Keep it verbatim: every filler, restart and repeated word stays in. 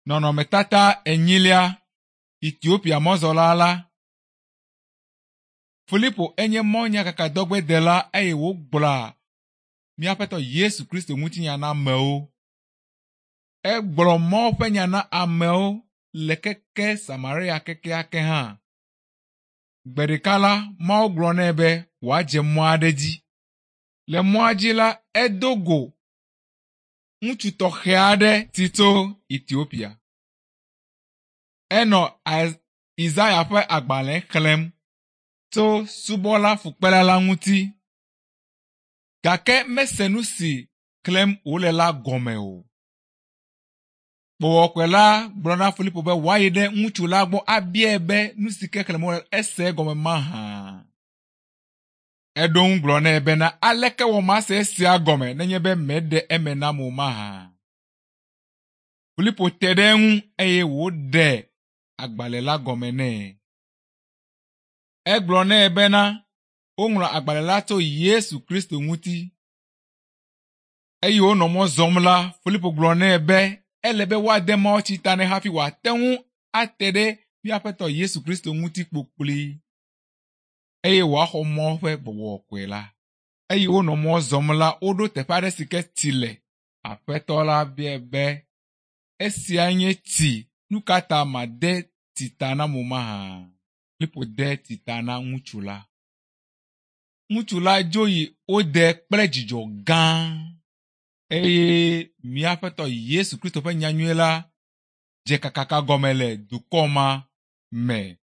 Nɔnɔmetata enyilia Etiopia mɔzɔla la. Filipo enye mɔnyakakadɔgbedela eye wògblɔa mía Aƒetɔ Yesu Kristo ŋutinya na amewo. Egblɔ Mawu ƒe nya na amewo le keke Samaria kekeake hã. Gbe ɖeka la, Mawu gblɔ nɛ be wòadze mɔ aɖe dzi. Le mɔa dzi la, edo go ŋutsu tɔxɛ aɖe si tso Etiopia. Enɔ Isaya ƒe agbalẽ xlẽm tso subɔla fukpela la ŋuti gake mese nu si xlẽm wòle la gɔme o. Gbɔgbɔ la gblɔ na Filipo be wòayi ɖe ŋutsu la gbɔ abiae be nu si ke xlẽm wòle ese egɔme mahã. Eɖo ŋu gblɔ nɛ bena aleke wɔ mase esia gɔme nenye be mèɖe eme nam o mahã. Filipo te ɖe eŋu eye wòɖe agbalẽ la gɔme nɛ. Egblɔ nɛ bena woŋlɔ agbalẽ la tso Yesu Kristo ŋuti. Eye wonɔ mɔ zɔm la, Filipo gblɔ nɛ be ele be woade mawutsi ta nɛ hafi wòate ŋu ate ɖe mía Aƒetɔ Yesu Kristo ŋuti kpokploe eye wòaxɔ Mawu ƒe gbɔgbɔ kɔkɔe la. Eye wonɔ mɔ zɔm la, woɖo teƒe aɖe si ke tsi le. Aƒetɔ la biae be, esia nye tsi, nu ka ta made tsi ta nam o mahã? Filipo de tsi ta na ŋutsu la. Ŋutsu la dzo yi wo de kple dzidzɔ gã eye mía Aƒetɔ Yesu Kristo ƒe nyanyui la dze kakaka gɔme le dukɔ ma me.